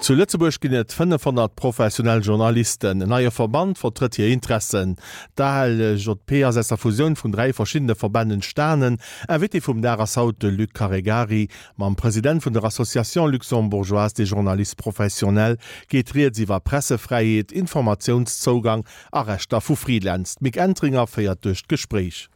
Zu Lëtzebuerg ginn et 500 professionell Journalisten. En neie Verband vertrëtt hir Interessen. D'ALJP ass aus der Fusioun vun 3 verschiddene Verbänn entstanen. Invité vum Dag ass haut de Luc Caregari. Mam President vun der Association luxembourgeoise des journalistes professionnels geet rieds iwwer Pressefräiheet, Informatiounszougang a Rechter vu Freelance. D'Mick Entringer féiert duerch d'Gespréich.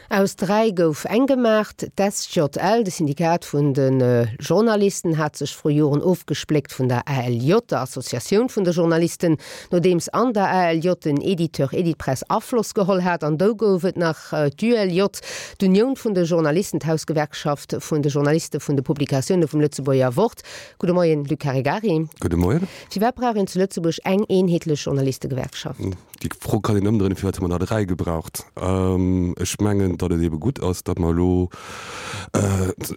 Aus 3 gouf eng gemaach. D'SJL, de Syndikat vun de Journalisten, hat sech vru Joren ofgespléckt vun der ALJ, der Associatioun vun de Journalisten, nodeems an der ALJ den Editeur Editpress Afloss geholl hat. An dou gouf et nach d'ULJ, d'Unioun vun de Journalisten, d'Hausgewerkschaft vun de Journaliste vun de Publikatioune vum Lëtzebuerger Wort. Gudde Moien, Luc Caregari. Gudde Moien. Firwat brauch een zu Lëtzebuerg eng eenheetlech Journalistegewerkschaft? Déi Fro kann een ëmdréinen, Firwat hu mer der 3 gebraucht? Ech mengen, datt et eebe gutt ass, datt mer elo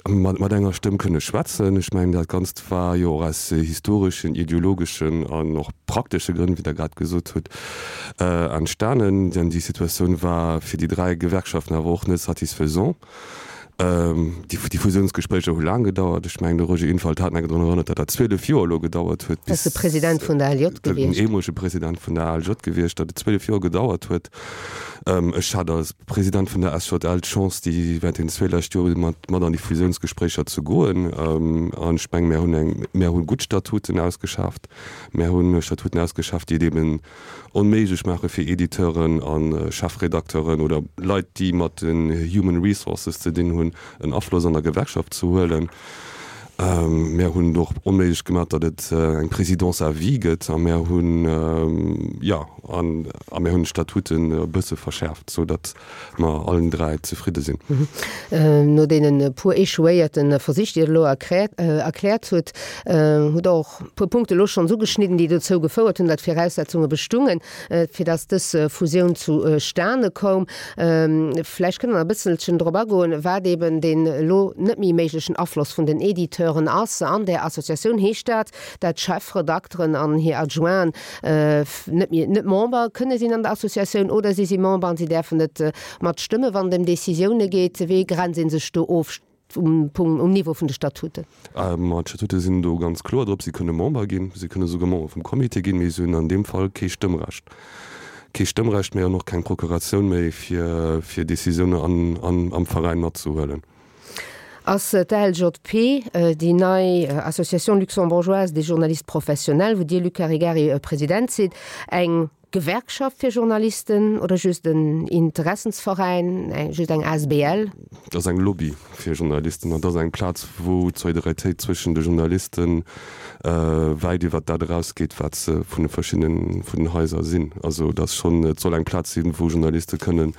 mat enger Stëmm kënne schwätzen. Ech mengen, dat Ganzt war jo och aus historeschen, ideologeschen an och praktesche Grënn, wéi Der grad gesot hutt, entstanen. Denn déi Situatioun war fir déi 3 Gewerkschaften awer och net satisfaisant. Déi Fusiounsgespréicher hu laang gedauert. Ech mengen, de Roger Infalt hat nach drun erënnert, datt dat 12 Joer elo gedauert huet, bis. Dat ass de President vun der ALJ gewiescht. Den eemolege President vun der ALJ gewiescht, datt et 12 Joer gedauert huet. Ech hat als President vun der SJL d'Chance, déi während den zwee lescht Jore mat mat an déi Fusiounsgespréicher ze goen. An ech mengen, mär hunn eng, mär hu gutt Statuten ausgeschaaft. Mär hu Statuten ausgeschaaft, déi et eeben onméiglech maache fir Editeuren a Chefredakteuren oder Leit, déi mat den Human Resources ze dinn hunn, en Afloss an der Gewerkschaft ze huelen. Mär hunn et och onméiglech gemaach, datt et eng Présidence à vie gëtt a mär hunn, jo, a mär hunn d'Statuten e bësse verschäerft, sou datt mer allen 3 zefridde sinn. No deenen puer echouéierte Versich, déi Der elo erkläert hutt, hutt Der och puer Punkte elo schonns ugeschnidden, déi dozou gefouert hunn, datt Viraussetzunge bestungen, fir datt dës Fusioun zustane koum. Vläicht kënnt Der nach e bësselchen drop agoen, wat eben deen elo net méi méiglechen Afloss vun den Editeuren ass. An där Associatioun heescht dat, dat d'Chefredakteren an hir Adjointen net méi, net Member kënne sinn an der Associatioun oder si si Member an si däerfen net matstëmmen, wann et ëm Décisioune geet. Wéi grenzt ee sech do of? Um Punkt, um Niveau vun de Statuten? Ma d'Statute sinn do ganz kloer drop. Si kënne Member ginn, si kënne souguer Member vum Comité ginn, mee si hunn an deem Fall kee Stëmmrecht. Kee Stëmmrecht méi an och keng Procuratioun méi, fir, fir Décisioune an, an, am Veräin matzehuelen. Ass d'ALJP, déi nei Association luxembourgeoise des journalistes professionnels, wou Dir, Luc Caregari, President sidd, eng Gewerkschaft fir Journalisten oder just en Interessensveräin, just eng asbl? Et ass eng Lobby fir Journalisten an et ass eng Plaz, wou d'Solidaritéit zwëschen de Journaliste wäit iwwert dat erausgeet, wat se vun de verschiddenen vun den Haiser sinn. Also et ass schonn, et soll eng Plaz sinn, wou Journaliste kënnen,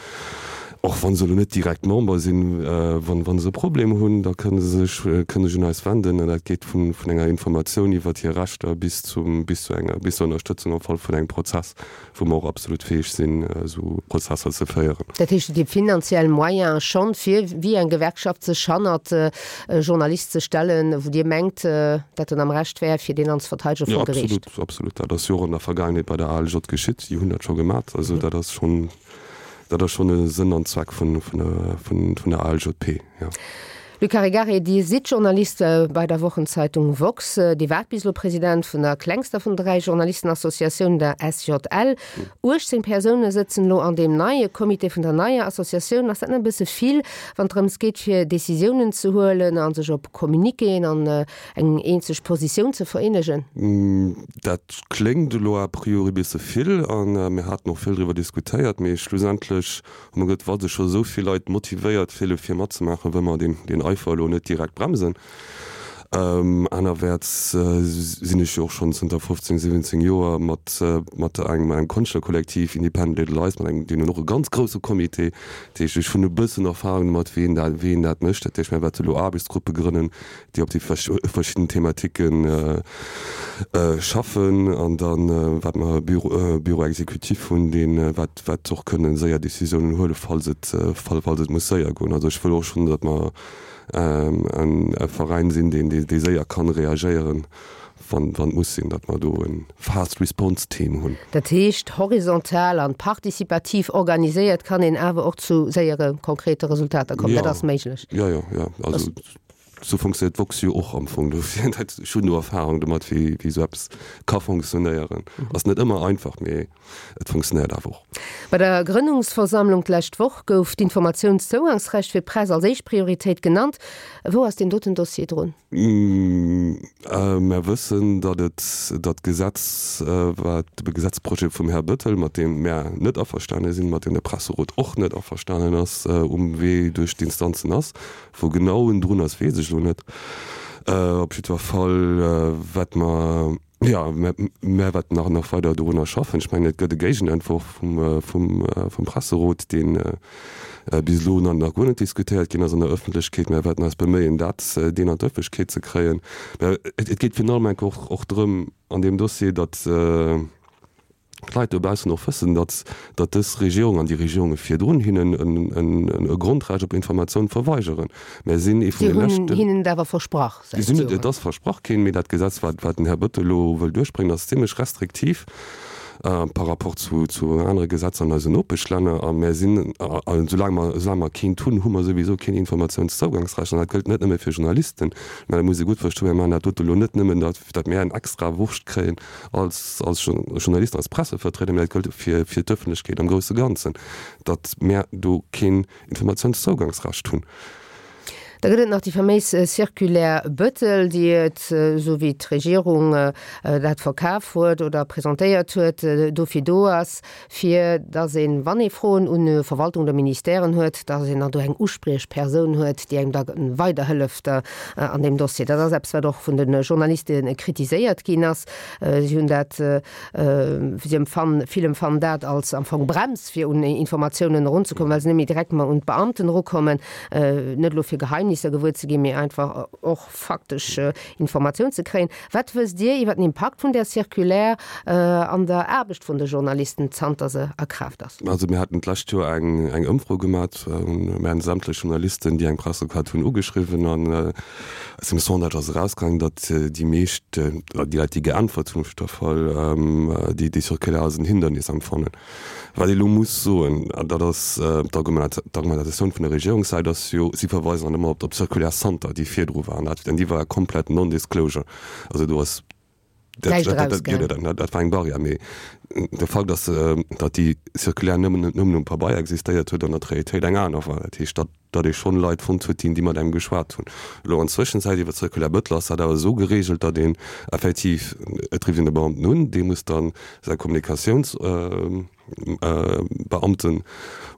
och wa se elo net direkt Member sinn, wann wa se e Problem hunn, da kënne se sech kënne sech un eis wenden an dat geet vun vun enger Informatioun iwwert hir Rechter bis zum, bis zu enger, bis zur Ënnerstëtzung am Fall vun engem Prozess, wou mer och absolut fäeg sinn, esou Prozesser ze féieren. Dat heescht, déi finanziell Moyene schonn, fir wéi eng Gewerkschaft sech hannert e Journalist ze stellen, wou Dir mengt, dat en am Recht wär, fir deen dann ze verteidegen vor Geriicht? Jo, absolut, absolut. Dat ass jo och an der Vergaangenheet bei der ALJ geschitt. Déi hunn dat scho gemat. Also dat ass schonn, dat ass schonn e Sënn an Zweck vun, vun der, vun, vun der ALJP, jo. Luc Caregari, Dir sidd Journalist bei der Wochenzeitung woxx. Dir waart bis elo President vun der klengster vun 3 Journalistenassociatiounen, der SJL. 18 Persoune sëtzen elo an deem neie Comité vun der neier Associatioun. Ass dat net e bësse vill, wann et drëms geet, fir Decisiounen ze huelen a sech op Communiquéen an eng eenzeg Positioun ze vereenegen? Dat kléngt elo a priori e bësse vill a mir haten och vill driwwer diskutéiert, mee schlussendlech Hu mer gesot, wa sech scho esou vill Leit motivéiert fille fir matzemaachen, wëlle mer deen Eifer elo net direkt bremsen. Anerwäerts sinn ech jo och schonn zënter 15, 17 Joer mat mat engem Konschtlerkollektiv Independent Little Eyes, mat engem, deen hunn och e ganz grousse Comité. Dat heescht, ech hunn e bëssen Erfahrung domat, wéi een dat, wéi een dat mécht. Dat heescht, mir wäerte elo Aarbechtsgruppe grënnen, déi op déi verschidden Thematike schaffen an dann wat mer e Bureau exécutif hunn, deen wat wat och kënnen séier Décisiounen huelen, falls et falls et muss séier goen. Also ech wëll och schonn, datt mer e Veräin sinn, deen dee séier kann reagéieren, wann wann et muss sinn, datt mer do e Fast Response Team hunn. Dat heescht, horizontal an participativ organiséiert kann een awer och zu séiere konkrete Resultater kommen. Dat ass méiglech. Jo, jo, jo. Also. Sou funktionéiert d'Woxx jo och am Fong. Dofir, dat, ech hunn do Erfahrung domat, wéi, wéi sou eppes ka funktionéieren. Ass net ëmmer einfach, mee et funktionéiert awer och. Bei der Grënnungsversammlung d'lescht Woch gouf d'Informatiounszougangsrecht fir d'Press als éischt Prioritéit genannt. Wou ass deen doten Dossier drun? Mär wëssen, datt et, datt d'Gesetz, wat, de Gesetzprojet vum Här Bettel, mat deem mär net averstane sinn, mat deem de Presserot och net averstanen ass, um Wee duerch d'Instanzen ass. Wou genau en drun ass, weess ech elo net. Op jiddwer Fall wäerte mer, jo, mär wäerten nach nach weider dorunner schaffen. Ech mengen, et gëtt e Géigenentworf vum, vum, vum Presserot, dee bis elo nach nach guer net diskutéiert ginn ass an der Ëffentlechkeet. Mär wäerten eis beméien, dat, deen an d'Ëffentlechkeet ze kréien. Mä et, et geet virun allem enk och, och drëm an deem Dossier, datt, d'Leit dobaussen och wëssen, datt, datt dës Regierung an déi Regierunge virdrun hinnen e Grondrecht op Informatioun verweigeren. Mär sinn ee vun de leschten. Si hunn hinnen et awer versprach säit Joren. Et ass versprach ginn, mee dat Gesetz, wat, wat den Här Bettel elo wëll duerchbréngen, ass zimlech restriktiv par rapport zu, zu anere Gesetzer an eisen Nopeschlänner. A mär sinn, a soulaang mer, soulaang mer keent hunn, hu mer souwisou keen Informatiounszougangsrecht. An dat gëllt net nëmme fir Journalisten, mä dat muss ee gutt verstoen, mir maachen dat dote elo net nëmmen, datt, datt mär eng extra Wurscht kréien, als, als Journalisten, als Pressevertrieder, mä dat gëllt fir, fir d'Ëffentlechkeet am grousse Ganzen, datt mär do keen Informatiounszougangsrecht hunn. Da gëtt et nach déi faméis Circulaire Bettel, déi et, esou wéi d'Regierung dat verkaf huet oder presentéiert huet, dofir do ass, fir datt een, wann ee Froen un Verwaltung oder Ministèren huet, datt een dann do eng Uspriechpersoun huet, déi engem da weiderhëlleft an deem Dossier. Dat ass eppes, wat och vun de Journaliste kritiséiert ginn ass. Si hunn dat, si empfannen, vill empfannen dat als am Fong Brems, fir un Informatiounen erunzekommen, well se net méi direkt mar un d'Beamten erukommen, net elo fir Geheimnisser gewuer ze ginn, mee einfach och faktesch Informatioun ze kréien. Wat wësst Dir iwwer den Impakt vun där Circulaire an der Aarbecht vun de Journalisten, zanter se a Kraaft ass? Also mir haten d'lescht Joer eng eng Ëmfro gemat. Mir haten sämtlech Journalisten, déi eng Pressekaart hunn, ugeschriwwen an aus dem Sondage ass erausgaangen, datt déi meescht, déi Leit, déi geäntwert hunn op jidder Fall, déi déi Circulaire als en Hindernis empfannen. Wat ee lo muss soen, an dat ass d'Argumentatioun vun der Regierungssäit, ass jo, si verweisen dann ëmmer op d'Circulaire Santer, déi virdru war, an dat, déi war komplett non-disclosure. Also do ass dat, dat war eng Barrière. Mee de Fakt ass, datt déi Circulaire nëmmen, nëmmen um Pabeier existéiert huet an an der Realitéit eng aner war. Dat heescht, datt, datt ee schonn Leit fonnt huet, déi, déi mat engem geschwat hunn. Elo an Zwëschenzäit iwwer d'Circulaire Bettel ass dat awer esou geregelt, datt een effektiv, et rifft een de Beamten un, dee muss dann säi Kommunikatiounsbeamten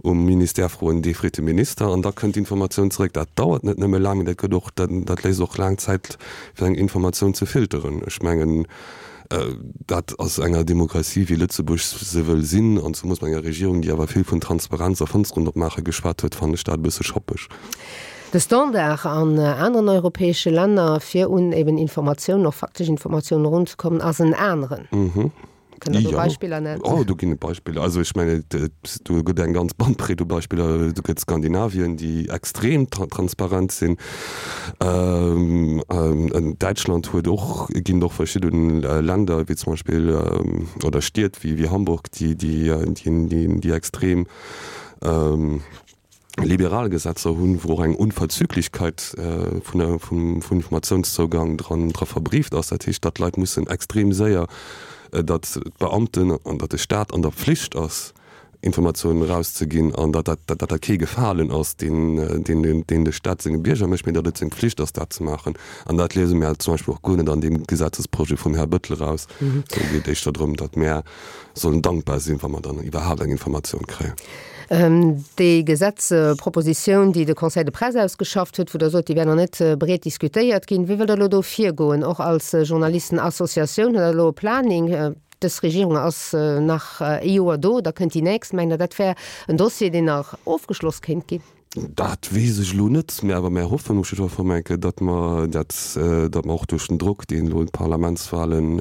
um Ministère froen, dee freet de Minister an da kënnt d'Informatioun zeréck. Dat dauert net nëmme laang, mee dat gëtt och, dat léisst och laang Zäit fir eng Informatioun ze filteren. Ech mengen, dat ass enger Demokratie wéi Lëtzebuerg se wëll sinn, an zemoos mat enger Regierung, déi awer vill vun Transparenz a Fënsteren opmaache geschwat huet, fannen ech dat e bësse schappeg. De Standard an aneren europäesche Länner, fir un eben Informatiounen, och faktesch Informatiounen erunzekommen, ass en aneren. Kënnt Der do Beispiller nennen? Oh, do ginn et Beispiller. Also ech mengen, do gëtt eng ganz Bandbreet u Beispiller. Do gëtt Skandinavien, déi extrem transparent sinn. Däitschland huet och, ginn et och verschidde Länder, wéi zum Beispill, oder Stied wéi Hamburg, déi, déi, déi extrem liberal Gesetzer hunn, wou och eng Unverzüglichkeit vun der, vum, vum Informationszougang dran, dra verbrieft ass. Dat heescht, datt d'Leit mussen extrem séier, datt d'Beamten an datt de Stat an der Pflicht ass, Informatiounen erauszeginn an datt dat, datt dat kee Gefalen ass, deen, deen, deen de Stat senge Bierger mécht, mee datt et seng Pflicht ass, dat ze maachen. An dat liese mir zum Beispill och guer net an deem Gesetzesprojet vum Här Bettel eraus. Do geet éischter drëm, datt mär sollen dankbar sinn, wa mer dann iwwerhaapt eng Informatioun kréien. Déi Gesetzpropositioun, déi de Conseil de Presse ausgeschafft huet, wou Der sot, déi wär nach net breet diskutéiert ginn, wéi wëllt Der elo do virgoen, och als Journalistenassociatioun? Hutt Der elo e Planning? Dës Regierung ass nach ee Joer do, da kënnt déi nächst. Mengt Der, dat wär en Dossier, deen nach ofgeschloss kéint ginn? Dat weess ech elo net, mä awer mär hoffen um jiddwer Fall eng Kéier, datt mer dat, datt mer och duerch den Drock, deen elo d'Parlamentswahlen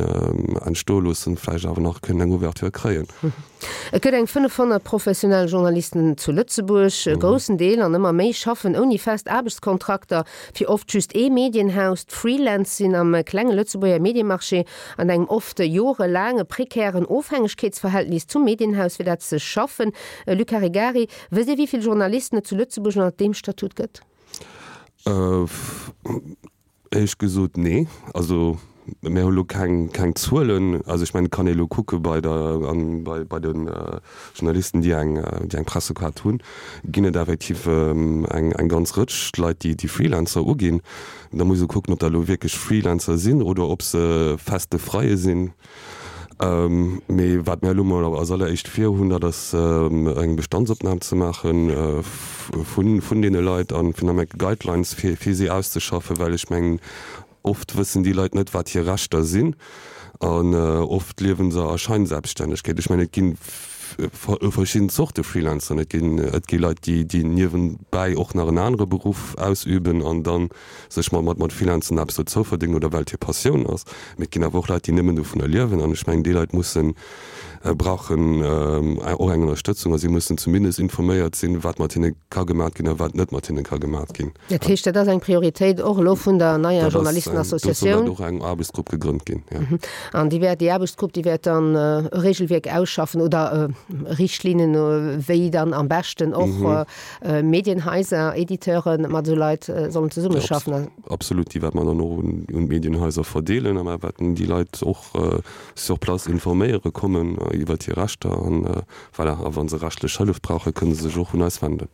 entstoe loossen, vläicht awer nach kënnen eng Ouverture kréien. Et gëtt eng 500 professionell Journalisten zu Lëtzebuerg. E groussen Deel, an ëmmer méi, schaffen ouni fest Aarbechtskontrakter, fir oft just ee Medienhaus. D'Freelance sinn am klenge Lëtzebuerger Mediemarché an engem oft jorelaange prekären Ofhängegkeetsverhältnis zum Medienhaus, fir dat se schaffen. Luc Caregari, Wësst Dir, wéi vill Journalisten et zu Lëtzebuerg ënnert deem Statut gëtt? Éierlech gesot, nee. Also mir hu lo keng, keng Zuelen. Also ech mengen, et kann ee lo kucke bei der, bei, bei de Journalisten, déi eng, déi eng Pressekaart hunn, ginn et effektiv eng, eng ganz Rëtsch Leit, déi, déi Freelancer uginn. Da muss ee kucken, ob dat elo wierklech Freelancer sinn oder ob se feste Freie sinn. Mee wat mir elo mol als alleréischt vir hunn, dat ass eng Bestandsopnam ze maache vun deene Leit a finalement Guidelines fir si auszeschaffen, well ech mengen, oft wëssen déi Leit net, wat hir Rechter sinn an oft liewe se a Scheinselbststännegkeet. Ech mengen, et gi verschidden Zorte Freelancern. Et ginn, et gi Leit, déi niewenbäi och nach en anere Beruff ausüben an dann sech mat mat Freelancen eppes dozou verdéngen oder well et hir Passioun ass. Mee et ginn awer och Leit, déi nëmmen dovunner liewen. An ech mengen, déi Leit mussen, brauchen och eng Ënnerstëtzung a si mussen zumindest informéiert sinn, wat mat hinne ka gemat ginn a wat net mat hinne ka gemat ginn. Dat heescht, dat ass eng Prioritéit och elo vun der neier Journalistenassociatioun? Do soll och eng Aarbechtsgrupp gegrënnt ginn, jo. An déi wäert, déi Aarbechtsgrupp, déi wäert dann e Regelwierk ausschaffen oder Richtlinnen, wéi dann am beschten och Medienhaiser, Editeure mat esou Leit sollen zesummeschaffen. Absolut, déi wäerte mer dann och un d'Medienhaiser verdeelen a mer wäerten déi Leit och sur place informéiere kommen iwwert hir Rechter an voilà, a wa se rechtlech Hëllef brauchen, kënne se sech och un eis wenden.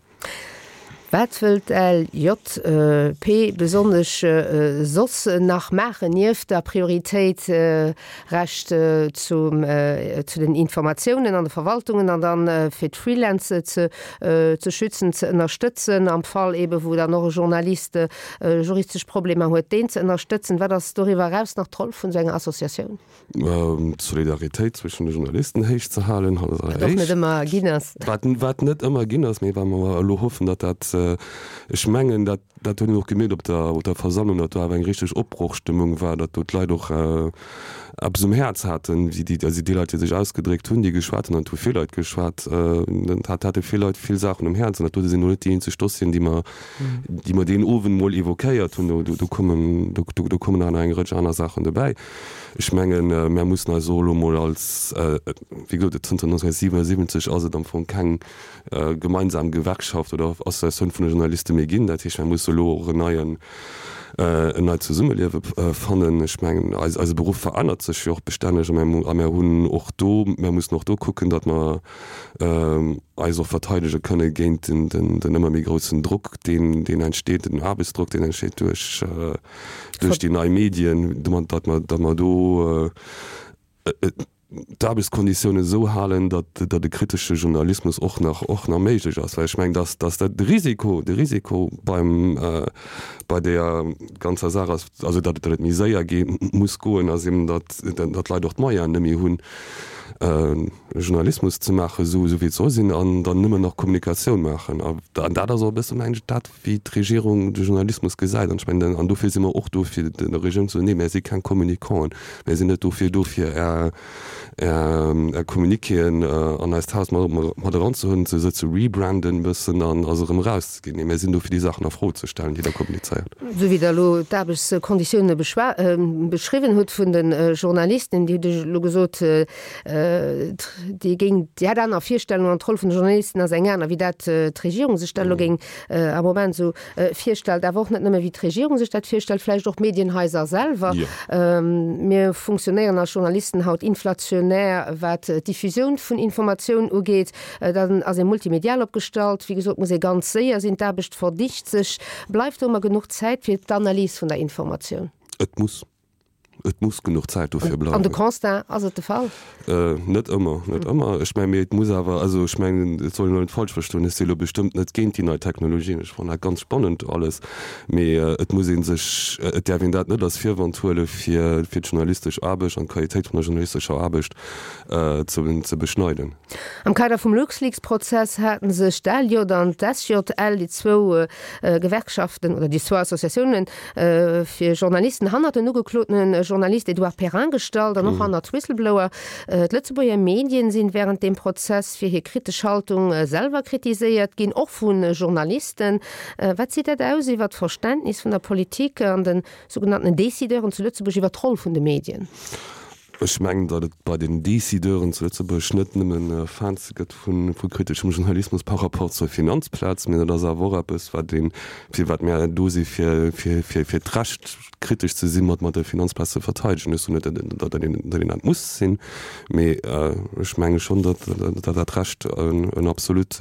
Wat wëllt d'LJP besonnesch soss nach maachen, nieft der Prioritéit Recht zum, zu den Informatiounen an de Verwaltungen an dann fir d'Freelance ze, ze schützen, ze ënnerstëtzen, am Fall eebe wou dann och e Journalist juristesch Problemer huet, deen ze ënnerstëtzen. Wat ass doriwwer eraus nach d'Roll vun esou enger Associatioun? D'Solidaritéit zwëschen de Journalisten héich ze halen, als Wat och net ëmmer ginn ass. Wat, wat net ëmmer ginn ass, mee wat mer elo hoffen, datt dat, ech mengen, dat, Dat hunn ech och gemierkt op der, op der Versammlung, datt do awer eng richteg Opbrochstëmmung war, datt do d'Leit och eppes um Häerz haten, wéi déi, also déi Leit, déi sech ausgedréckt hunn, déi geschwat hunn, an et hu vill Leit geschwat, dat hate vill Leit vill Saachen um Häerz. An dat dote sinn elo net déi eenzeg Dossieren, déi mer, déi mer deen Owend mol évoquéiert hunn. Do, do kommen, do, do kommen nach eng Rëtsch aner Saachen dobäi. Ech mengen, mär mussen eis och elo mol als, wéi gesot, zënter 1977 ass et am Fong keng, gemeinsam Gewerkschaft oder Associatioun vun de Journaliste méi ginn. Dat heescht, mir musse elo och en neien, en neit Zesummeliewe fannen. Ech mengen, eis, eise Beruff verännert sech jo och bestänneg a mir, a mir hunn och do, mir mussen och do kucken, datt mer eis och verteidege kënne géint den, den, den ëmmer méi groussen Drock, deen, deen entsteet, den Aarbechtsdrock, deen entsteet duerch, duerch déi nei Medien, domat, datt mer, datt mer do d'Aarbechtskonditiounen esou halen, datt datt e kritesche Journalismus och nach och nach méiglech ass. Well ech mengen, datt datt dat de Risiko de Risiko beim bei deeër ganzer Saach ass, also datt datt et méi séier gee muss goen, ass eben, datt datt d'Leit och d'Moyenen net méi hunn, Journalismus ze maachen, esou esou wéi et soll sinn, an dann nëmmen nach Kommunikatioun maachen. A dat ass och e bësse mengen ech dat, wéi d'Regierung de Journalismus gesäit. An ech mengen, an dofir si mer och do, fir der Regierung ze soen, Nee, mär si keng Communicanten, mär sinn net dofir do, fir Är, Är Communiquéen an eist Haus mat eranzehuelen, se ze rebranden e bëssen an a se erëm erauszeginn. Nee, mär sinn do, fir déi Saachen a Fro ze stellen, déi Der kommunizéiert. Esou wéi Der elo d'Aarbechtskonditioune beschriwwen hutt vun de Journalisten, Dir hutt elo gesot, Déi géing, déi hätt aner Virstellungen an d'Roll vun de Journalisten ass eng aner, wéi dat d'Regierung sech dat elo géing am Moment esou virstellt. Awer och net nëmme wéi d'Regierung sech dat virstellt, vläicht och d'Medienhaiser selwer. Mir funktionéieren als Journalisten haut inflationär, wat d'Diffusioun vun Informatioun ugeet. Dann ass ee multimedial opgestallt. Wéi gesot muss ee ganz séier sinn, d'Aarbecht verdicht sech. Bleift do ëmmer genuch Zäit fir d'Analys vun der Informatioun? Et muss. Et muss genuch Zäit dofir bleiwen. An de Constat, ass et de Fall? Net ëmmer, net ëmmer. Ech mengen, mee et muss awer, also ech mengen, et soll een elo net falsch verstoen, ech si elo bestëmmt net géint déi nei Technologien, ech fannen dat ganz spannend alles, mee et muss ee sech, et däerf een dat net als Virwand huele fir fir d'journalistesch Aarbecht an d'Qualitéit vun der journalistescher Aarbecht ze ze beschneiden. Am Kader vum LuxLeaks-Prozess haten sech d'ALJ an d'SJL, déi zwou Gewerkschaften oder déi zwou Associatiounen fir Journalisten, hannert den ugeklotene Journalist Edouard Perrin gestallt an och hannert Whistleblower. D'Lëtzebuerger Medien sinn wärend deem Prozess fir hir kritesch Haltung selwer kritiséiert ginn, och vu Journalisten. Wat seet dat aus iwwer d'Verständnis vun der Politik an de sougenannten Decideuren zu Lëtzebuerg iwwer d'Roll vun de Medien? Ech mengen, datt et bei den Decideuren zu Lëtzebuerg net nëmmen Fans gëtt vu kriteschem Journalismus par rapport zur Finanzplaz, mee dat ass awer och eppes, wat een, fir wat mär do si fir, fir, fir, fir d'Recht kritesch ze sinn, mat, mat der Finanzplaz ze verteidegen. Ech soen net, datt een, datt een dat muss sinn, mee ech menge schonn, datt, datt dat Recht en absolut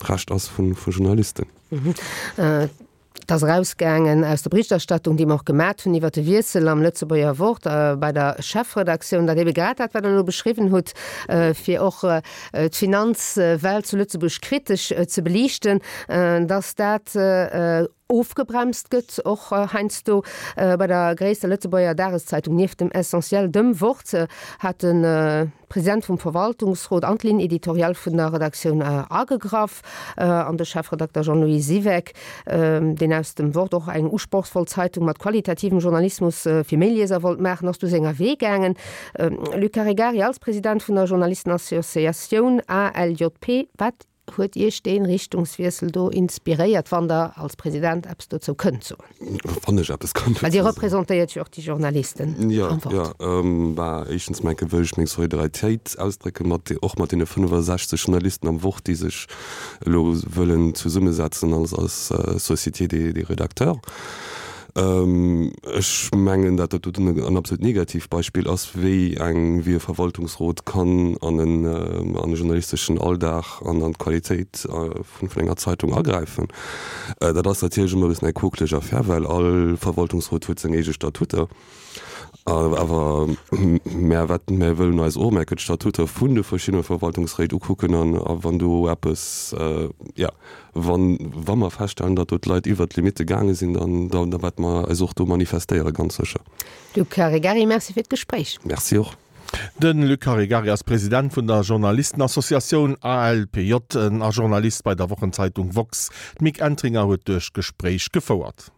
Recht ass vu, vu Journalisten. Et ass erausgaangen aus der Berichterstattung, déi mer och gemat hunn iwwert de Wiessel am Lëtzebuerger Wort bei der Chefredaktioun, datt ebe grad dat, wat Der elo beschriwwen hutt, fir och d'Finanzwelt zu Lëtzebuerg kritesch ze beliichten, datt dat ofgebremst gëtt, och heiansdo bei der gréisster Lëtzebuerger Dageszeitung nieft dem Essentiel, dem Wort, hat de President vum Verwaltungsrot an d'Ligne éditoriale vun der Redaktioun agegraff an de Chefredakter Jean-Louis Siweck, deen aus dem Wort och eng usprochsvoll Zeitung mat qualitativem Journalismus fir méi Lieser wollt maachen, ass du senger Wee gaangen. Luc Caregari, als President vun der Journalistenassociatioun ALJP, wat Huet Iech dee Richtungswiessel do inspiréiert, wann Der als President eppes dozou kënnt soen? Wann ech eppes kann dozou soen. Well Dir representéiert jo och déi Journalisten am Wort. Jo, jo. Bah, éischtens mol enke wëll ech meng Solidaritéit ausdrécke mat, och mat deene 65 Journalisten am Wort, déi sech elo wëllen zesummesetzen als, als Société des, des rédacteurs. Ech mengen, dat dat doten en absolut Negativbeispill ass, wéi eng, wéi e Verwaltungsrot kann an en, an e journalisteschen Alldag an an d'Qualitéit vun, vun enger Zeitung agräifen. Dat ass natierlech ëmmer e bëssen eng quokeleg Affär, well all Verwaltungsrot huet seng eege Statuter. Awer mär wat, mär wëllen eis och mär d'Statuter vun de verschiddene Verwaltungsréit ukucken an a wann do eppes, jo, Wann, wa mer feststellen, datt do d'Leit iwwert d'Limitte gaange sinn, dann, dann da wäerte mer eis och do manifestéieren, ganz sécher. Luc Caregari, Merci fir d'Gespréich. Merci och. De Luc Caregari ass President vun der Journalistenassociatioun ALPJ a Journalist bei der Wochenzeitung woxx. D'Mick Entringer huet duerch d'Gespréich gefouert.